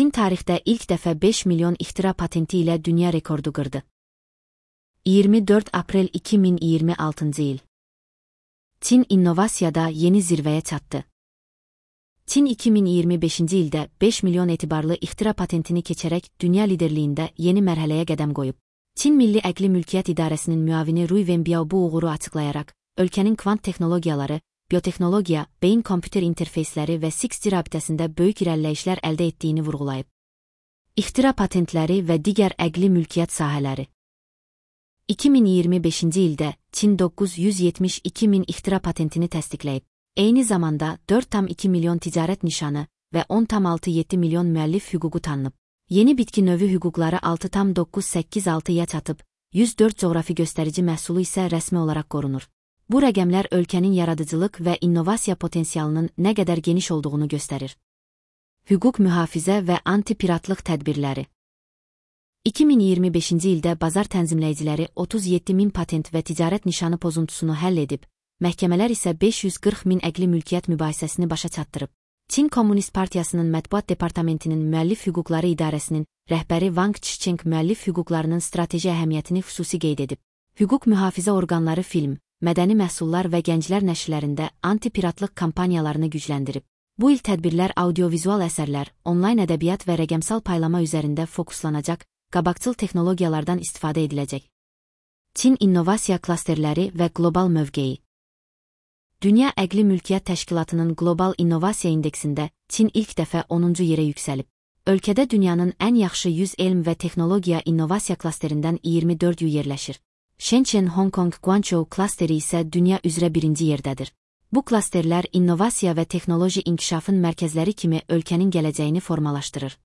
Çin tarixdə ilk dəfə 5 milyon ixtira patenti ilə dünya rekordu qırdı. 24 aprel 2026 il. Çin innovasiyada yeni zirvəyə çatdı. Çin 2025-ci ildə 5 milyon etibarlı ixtira patentini keçərək dünya liderliyində yeni mərhələyə qədəm qoyub. Çin Milli Əqli Mülkiyyət İdarəsinin müavini Rui Wenbiao bu uğuru açıqlayaraq, ölkənin kvant texnologiyaları, biotexnologiya, beyin kompüter interfeysləri və 6G rabitəsində böyük irəliləyişlər əldə etdiyini vurğulayıb. İxtira patentləri və digər əqli mülkiyyət sahələri. 2025-ci ildə Çin 972 min ixtira patentini təsdiqləyib. Eyni zamanda 4,2 milyon ticarət nişanı və 10,67 milyon müəllif hüququ tanınıb. Yeni bitki növü hüquqları 6,986-ya çatıb, 104 coğrafi göstərici məhsulu isə rəsmi olaraq qorunur. Bu rəqəmlər ölkənin yaradıcılıq və innovasiya potensialının nə qədər geniş olduğunu göstərir. Hüquq mühafizə və anti-piratlıq tədbirləri. 2025-ci ildə bazar tənzimləyiciləri 37 min patent və ticarət nişanı pozuntusunu həll edib, məhkəmələr isə 540 min əqli mülkiyyət mübahisəsini başa çatdırıb. Çin Komünist Partiyasının Mətbuat Departamentinin Müəllif Hüquqları İdarəsinin rəhbəri Wang Chicheng müəllif hüquqlarının strateji əhəmiyyətini xüsusi qeyd edib. Hüquq mühafizə orqanları film, mədəni məhsullar və gənclər nəşrlərində anti-piratlıq kampaniyalarını gücləndirib. Bu il tədbirlər audiovizual əsərlər, onlayn ədəbiyyat və rəqəmsal paylama üzərində fokuslanacaq, qabaqcıl texnologiyalardan istifadə ediləcək. Çin innovasiya klasterləri və qlobal mövqeyi. Dünya Əqli Mülkiyyət Təşkilatının Qlobal İnnovasiya İndeksində Çin ilk dəfə 10-cu yerə yüksəlib. Ölkədə dünyanın ən yaxşı 100 elm və texnologiya innovasiya klasterindən 24-ü yerləşir. Shenzhen, Hong Kong, Guangzhou klasteri isə dünya üzrə birinci yerdədir. Bu klasterlər innovasiya və texnoloji inkişafın mərkəzləri kimi ölkənin gələcəyini formalaşdırır.